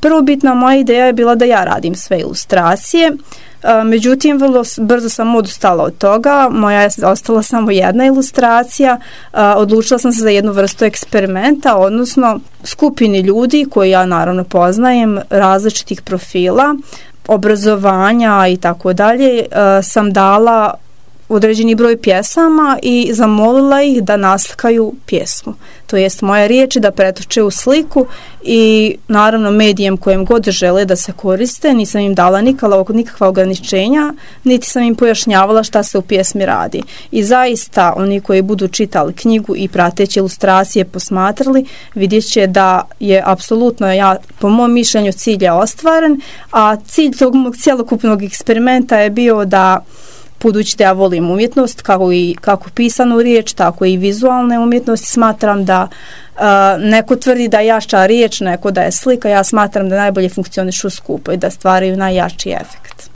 prvobitna moja ideja je bila da ja radim sve ilustracije, međutim vrlo brzo sam odustala od toga, moja je ostala samo jedna ilustracija, odlučila sam se za jednu vrstu eksperimenta, odnosno skupini ljudi koji ja naravno poznajem, različitih profila, obrazovanja i tako dalje, sam dala određeni broj pjesama i zamolila ih da naslikaju pjesmu. To jest moje riječi da pretoče u sliku i naravno medijem kojem god žele da se koriste, nisam im dala nikakva ograničenja, niti sam im pojašnjavala šta se u pjesmi radi. I zaista oni koji budu čitali knjigu i prateći ilustracije posmatrali, vidjet će da je apsolutno, po mom mišljenju, cilj je ostvaren, a cilj tog mog cjelokupnog eksperimenta je bio da, budući da ja volim umjetnost, kako pisanu riječ, tako i vizualne umjetnosti, smatram da neko tvrdi da je jača riječ, neko da je slika, ja smatram da najbolje funkcionišu skupo i da stvaraju najjači efekt.